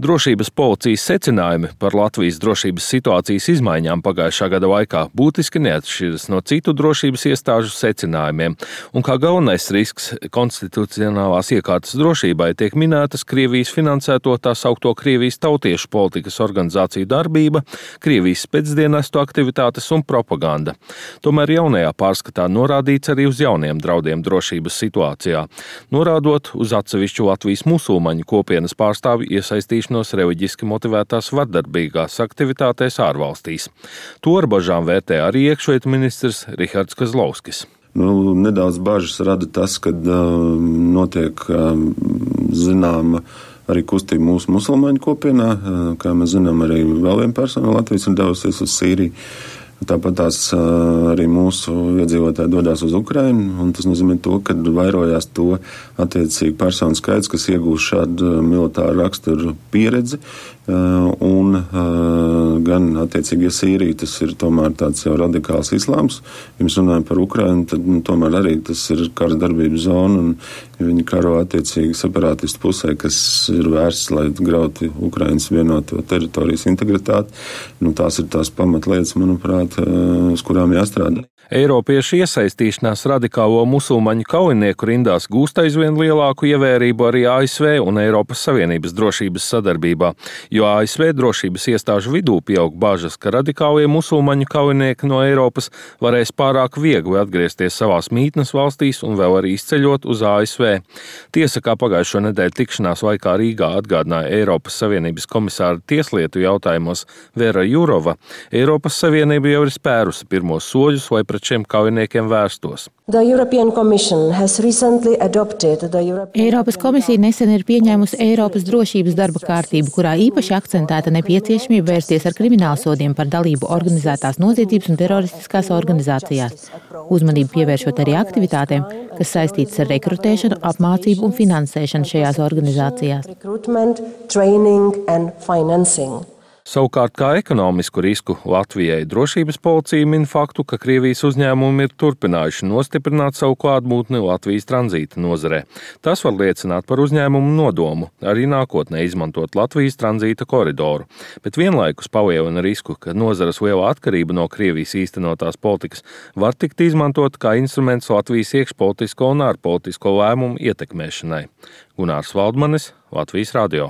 Drošības policijas secinājumi par Latvijas drošības situācijas izmaiņām pagājušā gada laikā būtiski neatšķiras no citu drošības iestāžu secinājumiem, un kā galvenais risks konstitucionālās iekārtas drošībai tiek minētas Krievijas finansēto tā saukto Krievijas tautiešu politikas organizāciju darbība, Krievijas spēcdienestu aktivitātes un propaganda. Tomēr jaunajā pārskatā norādīts arī uz jauniem draudiem drošības situācijā, norādot uz atsevišķu Latvijas musulmaņu kopienas pārstāvju iesaistīšanu reliģiski motivētās vardarbīgās aktivitātēs ārvalstīs. To ar bažām vērtē arī iekšlietu ministrs Rihards Kazlovskis. Nedaudz bažas rada tas, ka notiek zināma arī kustība mūsu musulmaņu kopienā. Kā mēs zinām, arī vēl viena persona no Latvijas ir devusies uz Sīriju. Tāpat arī mūsu iedzīvotāji dodas uz Ukrainu, un tas nozīmē to, ka vairojās to attiecīgi personu skaits, kas iegūst šādu militāru raksturu pieredzi, un gan attiecīgi, ja Sīrija tas ir tomēr tāds jau radikāls islāms, ja mēs runājam par Ukrainu, tad tomēr arī tas ir kara darbības zona, un viņi karo attiecīgi separātistu pusē, kas ir vērsts, lai grautu Ukrainas vienoto teritorijas integritāti. Tās ir tās pamatlietas, manuprāt, uz kurām jāstrādā. Eiropiešu iesaistīšanās radikālo musulmaņu kaujinieku rindās gūst aizvien lielāku ievērību arī ASV un Eiropas Savienības drošības sadarbībā, jo ASV drošības iestāžu vidū pieaug bažas, ka radikālie musulmaņu kaujinieki no Eiropas varēs pārāk viegli atgriezties savās mītnes valstīs un vēl arī izceļot uz ASV. Tiesa, kā pagājušo nedēļu tikšanās laikā Rīgā atgādināja Eiropas Savienības komisāra tieslietu jautājumos Vera Jurova, Eiropas Savienība jau ir spērusi pirmos soļus, lai pret šiem kaujiniekiem vērstos. Eiropas komisija nesen ir pieņēmusi Eiropas drošības darba kārtību, kurā īpaši akcentēta nepieciešamība vērsties ar kriminālsodiem par dalību organizētās noziedzības un teroristiskās organizācijās. Uzmanību pievēršot arī aktivitātēm, kas saistītas ar rekrutēšanu, apmācību un finansēšanu šajās organizācijās. Savukārt, kā ekonomisku risku Latvijai drošības policija min faktu, ka Krievijas uzņēmumi ir turpinājuši nostiprināt savu klātbūtni Latvijas tranzīta nozarē. Tas var liecināt par uzņēmumu nodomu arī nākotnē izmantot Latvijas tranzīta koridoru, bet vienlaikus palielina risku, ka nozares liela atkarība no Krievijas īstenotās politikas var tikt izmantot kā instruments Latvijas iekšpolitisko un ārpolitisko lēmumu ietekmēšanai. Gunārs Valdmanis, Latvijas radio.